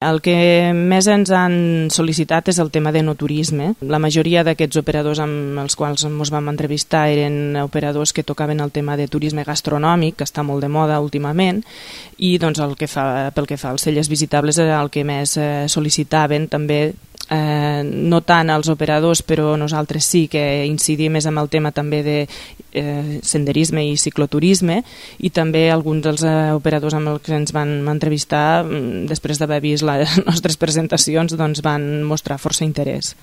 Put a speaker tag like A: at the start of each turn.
A: El que més ens han sol·licitat és el tema de no turisme. La majoria d'aquests operadors amb els quals ens vam entrevistar eren operadors que tocaven el tema de turisme gastronòmic, que està molt de moda últimament, i doncs, pel que fa als cellers visitables era el que més sol·licitaven. També no tant els operadors, però nosaltres sí que incidim més en el tema també de senderisme i cicloturisme, i també alguns dels operadors amb els que ens van entrevistar, després d'haver vist les nostres presentacions, doncs van mostrar força interès.